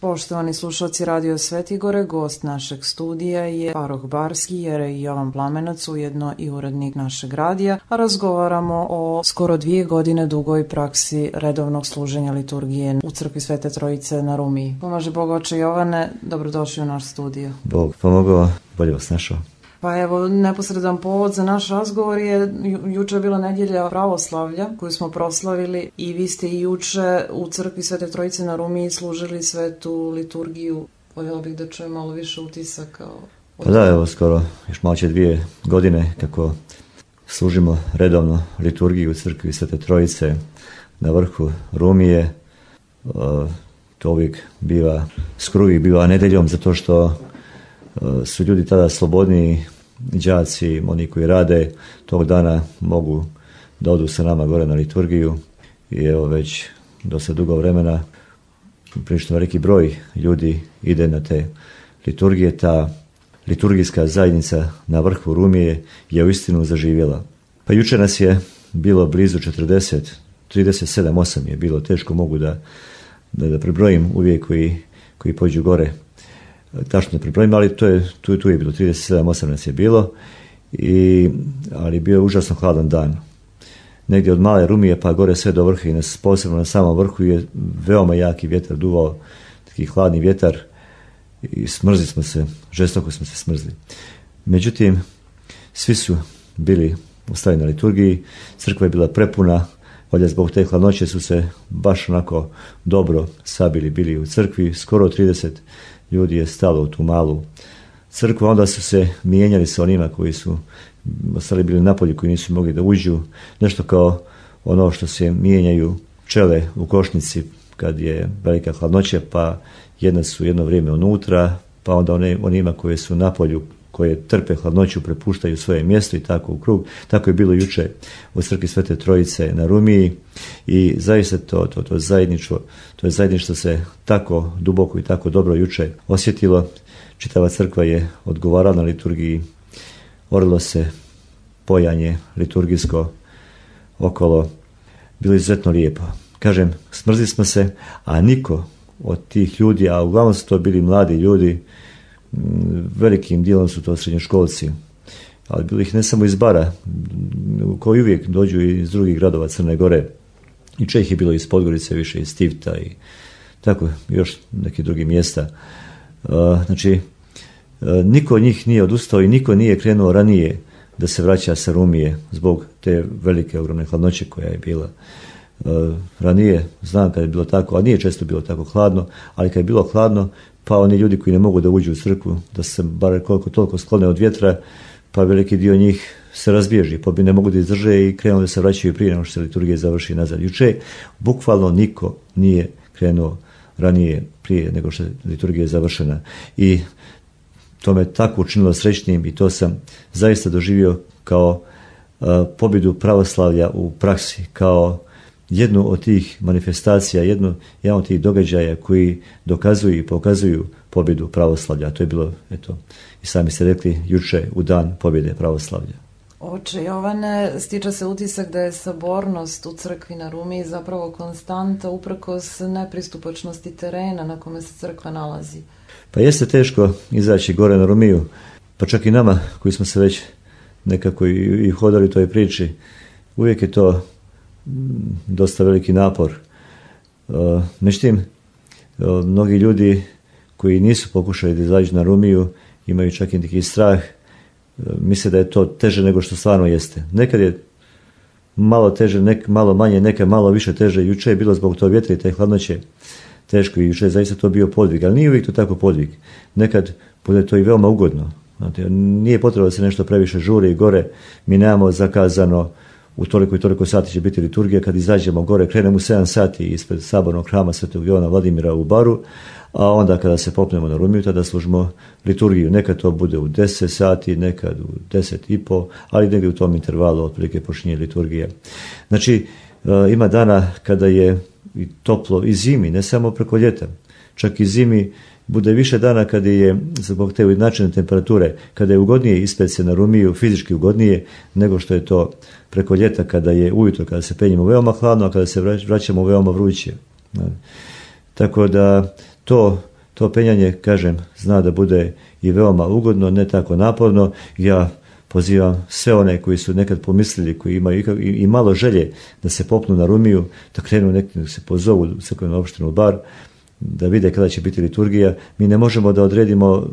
Poštovani slušalci Radio Svetigore, gost našeg studija je Paroh Barski, jerej Jovan Plamenac, ujedno i urednik našeg radija, a razgovaramo o skoro 2 godine dugoj praksi redovnog služenja liturgije u crkvi Svete Trojice na Rumiji. Pomaže Bog, oče Jovane, dobrodošli u naš studio. Bog pomogao, bolje vas našao. Pa evo, neposredan povod za naš razgovor je, juče je bila nedjelja pravoslavlja koju smo proslavili i vi ste i juče u crkvi Svete Trojice na Rumiji služili svetu liturgiju. Voljela bih da čujem malo više utisaka. Pa da, evo skoro još malo će 2 godine kako služimo redovno liturgiju u crkvi Svete Trojice na vrhu Rumije. To uvijek biva, skoro uvijek biva nedjeljom zato što su ljudi tada slobodniji, đaci, oni koji rade, tog dana mogu da odu sa nama gore na liturgiju i evo već dosta dugo vremena prilično veliki broj ljudi ide na te liturgije. Ta liturgijska zajednica na vrhu Rumije je uistinu zaživjela. Pa jučer nas je bilo blizu 40, 37 je bilo, teško mogu da prebrojim uvijek koji pođu gore. Tačno pripremimo, ali tu je bilo 37 nas je bilo, ali bio je užasno hladan dan. Negdje od male Rumije pa gore sve do vrha i posebno na samom vrhu je veoma jaki vjetar duvao, taki hladni vjetar i smrzli smo se, žestoko smo se smrzli. Međutim, svi su bili ostali na liturgiji, crkva je bila prepuna, valjda zbog te hladnoće su se baš onako dobro sabili, bili u crkvi, skoro 30 ljudi je stalo u tu malu crkvu, onda su se mijenjali sa onima koji su ostali bili napolju, koji nisu mogli da uđu, nešto kao ono što se mijenjaju pčele u košnici kad je velika hladnoća, pa jedna su jedno vrijeme unutra, pa onda onima koji su napolju, koje trpe hladnoću, prepuštaju svoje mjesto i tako u krug. Tako je bilo juče u crkvi Svete Trojice na Rumiji i zaista to zajedništvo se tako duboko i tako dobro juče osjetilo. Čitava crkva je odgovarala na liturgiji, orilo se pojanje liturgijsko okolo, bilo izuzetno lijepo. Kažem, smrzli smo se, a niko od tih ljudi, a uglavnom su to bili mladi ljudi, velikim dijelom su to srednjoškolci, ali bilo ih ne samo iz Bara, koji uvijek dođu iz drugih gradova Crne Gore, i ih je bilo iz Podgorice, više iz Tivta i tako još nekih drugih mjesta. Znači, niko od njih nije odustao i niko nije krenuo ranije da se vraća sa Rumije zbog te velike ogromne hladnoće koja je bila. Ranije, znam kad je bilo tako, a nije često bilo tako hladno, ali kad je bilo hladno, pa oni ljudi koji ne mogu da uđu u crkvu, da se bar koliko toliko sklone od vjetra, pa veliki dio njih se razbježi, pa ne mogu da izdrže i krenu da se vraćaju prije nego što se liturgija završi nazad. Juče bukvalno niko nije krenuo ranije, prije nego što je liturgija završena. I to me tako učinilo srećnim i to sam zaista doživio kao pobjedu pravoslavlja u praksi, kao jednu od tih manifestacija, jedan od tih događaja koji dokazuju i pokazuju pobjedu pravoslavlja. To je bilo, eto, i sami ste rekli, juče u dan pobjede pravoslavlja. Oče Jovane, stiče se utisak da je sabornost u crkvi na Rumiji zapravo konstanta uprkos nepristupačnosti terena na kome se crkva nalazi. Pa jeste teško izaći gore na Rumiju, pa čak i nama koji smo se već nekako i hodali toj priči, uvijek je to dosta veliki napor. Međutim, mnogi ljudi koji nisu pokušali da izađu na Rumiju imaju čak i neki strah, misle da je to teže nego što stvarno jeste. Nekad je malo teže, malo manje, nekad malo više teže. Juče je bilo zbog tog vjetra i te hladnoće teško i juče je zaista to bio podvig, ali nije uvijek to tako podvig. Nekad bude to i veoma ugodno. Znate, nije potrebno da se nešto previše žuri i gore. Mi nemamo zakazano u toliko i toliko sati će biti liturgija. Kad izađemo gore, krenemo u 7 sati ispred sabornog hrama Svetog Jovana Vladimira u Baru, a onda kada se popnemo na Rumiju, tada služimo liturgiju. Nekad to bude u 10 sati, nekad u 10:30, ali negdje u tom intervalu otprilike počinje liturgija. Znači, ima dana kada je i toplo i zimi, ne samo preko ljeta, čak i zimi bude više dana kada je zbog te ujednačene temperature, kada je ugodnije ispet se na Rumiju, fizički ugodnije, nego što je to preko ljeta kada je ujutro, kada se penjemo veoma hladno, a kada se vraćamo veoma vruće. Tako da to to penjanje, kažem, zna da bude i veoma ugodno, ne tako naporno. Ja pozivam sve one koji su nekad pomislili, koji imaju i malo želje da se popnu na Rumiju, da krenu neki, da se pozovu u crkvenu opštinu Bar, da vide kada će biti liturgija. Mi ne možemo da odredimo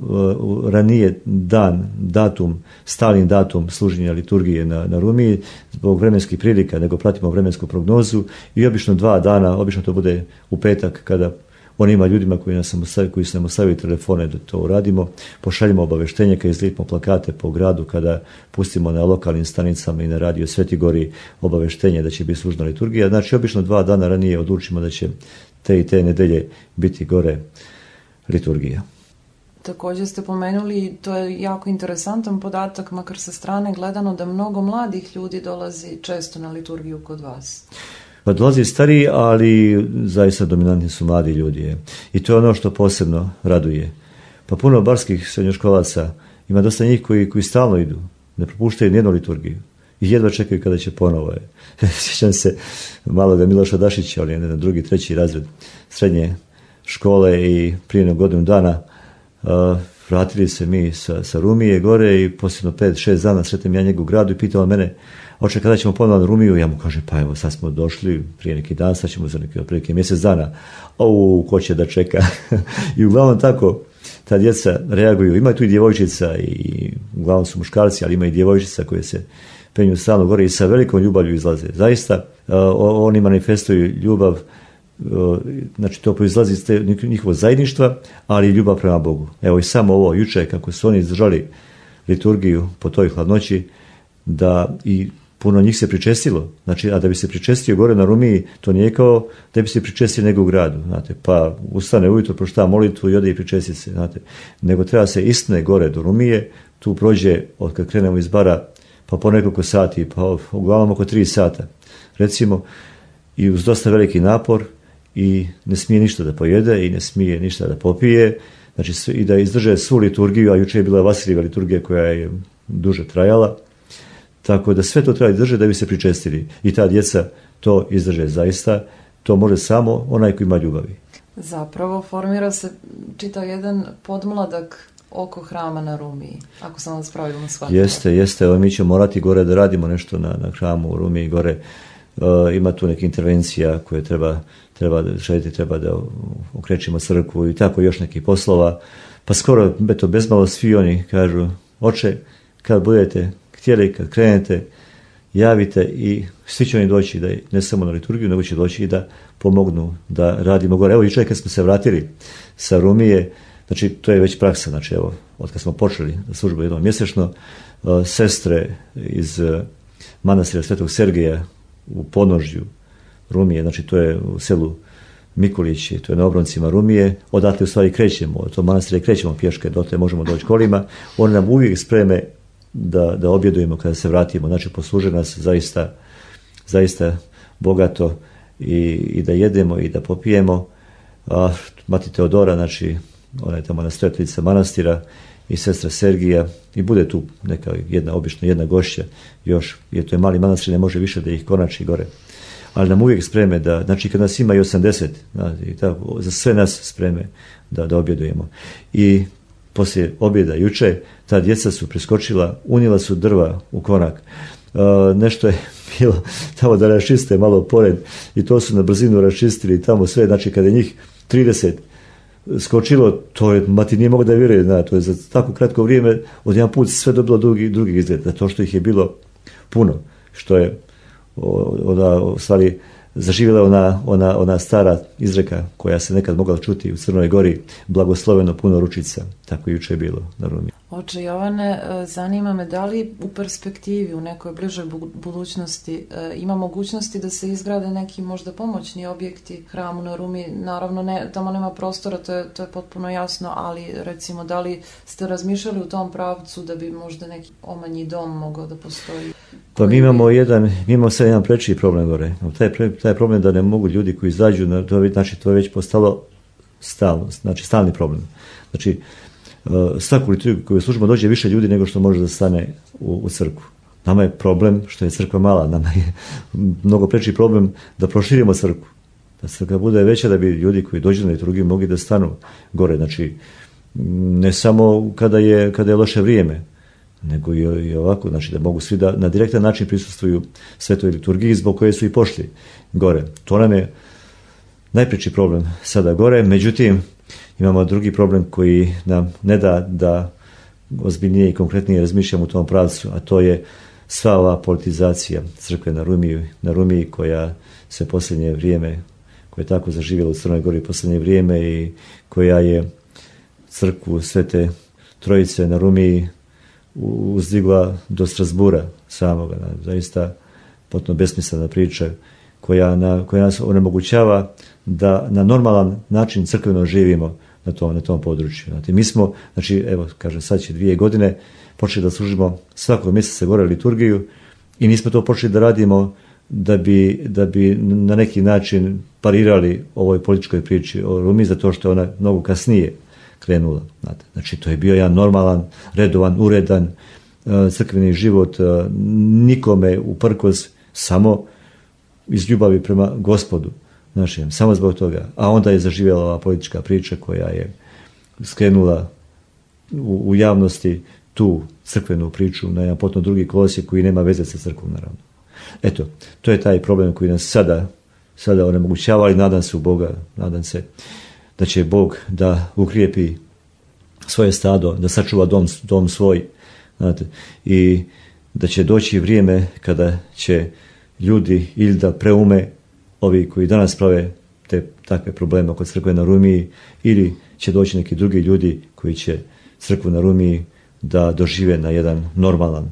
ranije datum, stalni datum služenja liturgije na Rumiji zbog vremenskih prilika, nego pratimo vremensku prognozu i obično 2 dana, obično to bude u petak kada onima ljudima koji su nam ostavili telefone da to uradimo, pošaljimo obaveštenje kada izlijepimo plakate po gradu, kada pustimo na lokalnim stanicama i na radio Sveti Gori obaveštenje da će biti služna liturgija. Znači, obično 2 dana ranije odlučimo da će te i te nedelje biti gore liturgija. Također ste pomenuli, to je jako interesantan podatak, makar sa strane gledano, da mnogo mladih ljudi dolazi često na liturgiju kod vas. Pa dolazi stariji, ali zaista dominantni su mladi ljudi. I to je ono što posebno raduje. Pa puno barskih srednjoškolaca, ima dosta njih koji stalno idu, ne propuštaju nijednu liturgiju i jedva čekaju kada će ponovo. Sjećam se maloga Miloša Dašića, ali na 2., 3. razred srednje škole i prije godinu dana vratili se mi sa Rumije gore i posljedno 5-6 dana sretnem ja njega u gradu i pitao mene: oče, kada ćemo ponovno na Rumiju? Ja mu kažem: pa evo, sad smo došli prije neki dan, sad ćemo za neki otprilike mjesec dana. Ko će da čeka? I uglavnom tako ta djeca reaguju. Ima tu i djevojčica, i uglavnom su muškarci, ali ima i djevojčica koje se penju stalno gore i sa velikom ljubavlju izlaze. Zaista oni manifestuju ljubav, znači to proizlazi iz njihovog zajedništva, ali i ljubav prema Bogu. Evo i samo ovo juče kako su oni izdržali liturgiju po toj hladnoći, da i puno njih se pričestilo. Znači, a da bi se pričestio gore na Rumiji, to nije kao da bi se pričestio nego u gradu, znate. Pa ustane ujutro, pročita molitvu i ode i pričesti se, znate. Nego treba se istine gore do Rumije, tu prođe od kad krenemo iz Bara pa po nekoliko sati, pa uglavnom oko 3 sata, recimo, i uz dosta veliki napor, i ne smije ništa da pojede i ne smije ništa da popije, znači i da izdrže svu liturgiju, a juče je bila Vasilijeva liturgija koja je duže trajala, tako da sve to treba izdržati da bi se pričestili. I ta djeca to izdrže zaista, to može samo onaj koji ima ljubavi. Zapravo formira se čitav jedan podmladak oko hrama na Rumiji, ako sam vas pravilno shvatila. Jeste, mi ćemo morati gore da radimo nešto na hramu u Rumiji gore. Ima tu neka intervencija koje treba da okrećimo crkvu i tako još nekih poslova. Pa skoro, bezmalo svi oni kažu: oče, kad budete htjeli, kad krenete, javite, i svi će oni doći, da ne samo na liturgiju, nego će doći i da pomognu da radimo gore. Evo, jučer kad smo se vratili sa Rumije, znači to je već praksa, znači evo, od kad smo počeli službu jednom mjesečno, sestre iz manastira Svetog Sergeja u podnožju Rumije, znači to je u selu Mikulići, to je na obroncima Rumije, odatle u stvari krećemo, od tog manastira krećemo pješke, dotle možemo doći kolima, oni nam uvijek spreme da objedujemo kada se vratimo, znači posluže nas zaista bogato i da jedemo i da popijemo. A mati Teodora, znači ona je tamo nastojateljica manastira, i sestra Sergija, i bude tu neka obično jedna gošća još, jer to je mali manastir, ne može više da ih konači gore. Ali nam uvijek spreme da, znači kad nas ima i 80, znači, tako, za sve nas spreme da objedujemo. I poslije objeda juče, ta djeca su preskočila, unijela su drva u konak. Nešto je bilo tamo da raščiste malo pored, i to su na brzinu raščistili tamo sve, znači kada je njih 30 skočilo, to je, mati nije mogu da vjeruje, to je za tako kratko vrijeme od jedan put sve dobilo drugi izgled, zato što ih je bilo puno, što je u stvari zaživjela ona stara izreka koja se nekad mogla čuti u Crnoj Gori: blagosloveno puno ručica. Tako i juče je bilo na Rumiji. Oče Jovane, zanima me da li u perspektivi, u nekoj bližoj budućnosti ima mogućnosti da se izgrade neki možda pomoćni objekti hramu na Rumiji. Naravno, tamo nema prostora, to je potpuno jasno, ali recimo da li ste razmišljali u tom pravcu da bi možda neki omanji dom mogao da postoji? Pa mi imamo sad jedan preči problem gore. Taj problem da ne mogu ljudi koji izađu, znači to je već postalo stalni problem. Znači, svaku liturgiju koju služimo dođe više ljudi nego što može da stane u crkvu. Nama je problem što je crkva mala, nama je mnogo preči problem da proširimo crkvu. Da crkva bude veća, da bi ljudi koji dođu na liturgiju mogli da stanu gore. Znači, ne samo kada je loše vrijeme, nego i ovako, znači da mogu svi da na direktan način prisustvuju svetoj liturgiji zbog koje su i pošli gore. To nam je najpreći problem sada gore, međutim imamo drugi problem koji nam ne da ozbiljnije i konkretnije razmišljamo u tom pravcu, a to je sva ova politizacija crkve na Rumiji koja se posljednje vrijeme, koja je tako zaživjela u Crnoj Gori posljednje vrijeme i koja je crkvu Svete Trojice na Rumiji uzdigla do Strasbura samoga. Zaista potpuno besmislena priča koja nas onemogućava da na normalan način crkveno živimo na tom području. Znači, mi smo, evo, kažem, sad će 2 godine počeli da služimo svakog mjeseca gore liturgiju i nismo to počeli da radimo da bi na neki način parirali ovoj političkoj priči o Rumiji, zato što je ona mnogo kasnije krenula. Znači, to je bio jedan normalan, redovan, uredan crkveni život, nikome uprkos, samo iz ljubavi prema Gospodu našem, samo zbog toga. A onda je zaživjela ova politička priča koja je skrenula u javnosti tu crkvenu priču na jedan potpuno drugi kolosijek koji nema veze sa crkvom, naravno. Eto, to je taj problem koji nas sada onemogućava, ali nadam se u Boga, nadam se da će Bog da ukrijepi svoje stado, da sačuva dom svoj, znate, i da će doći vrijeme kada će ljudi ili da preume ovi koji danas prave te takve probleme oko crkve na Rumiji, ili će doći neki drugi ljudi koji će crkvu na Rumiji da dožive na jedan normalan,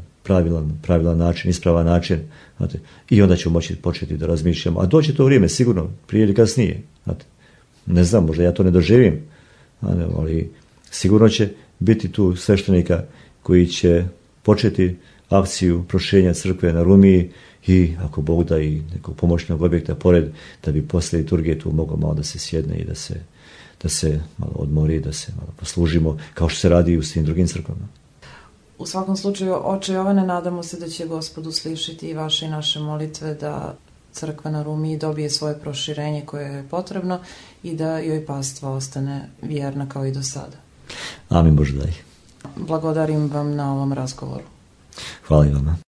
pravilan način, ispravan način, znate, i onda ćemo moći početi da razmišljamo. A doće to vrijeme, sigurno, prije ili kasnije. Znate. Ne znam, možda ja to ne doživim, ali sigurno će biti tu sveštenika koji će početi akciju proširenja crkve na Rumiji i ako Bog da i nekog pomoćnog objekta pored, da bi poslije liturgije tu moglo malo da se sjedne i da se malo odmori, da se malo poslužimo, kao što se radi i u svim drugim crkvama. U svakom slučaju, oče Jovane, nadamo se da će Gospod uslišiti i vaše i naše molitve da crkva na Rumiji dobije svoje proširenje koje je potrebno i da joj pastva ostane vjerna kao i do sada. Amin, Bože daj. Blagodarim vam na ovom razgovoru. Hvala i vama.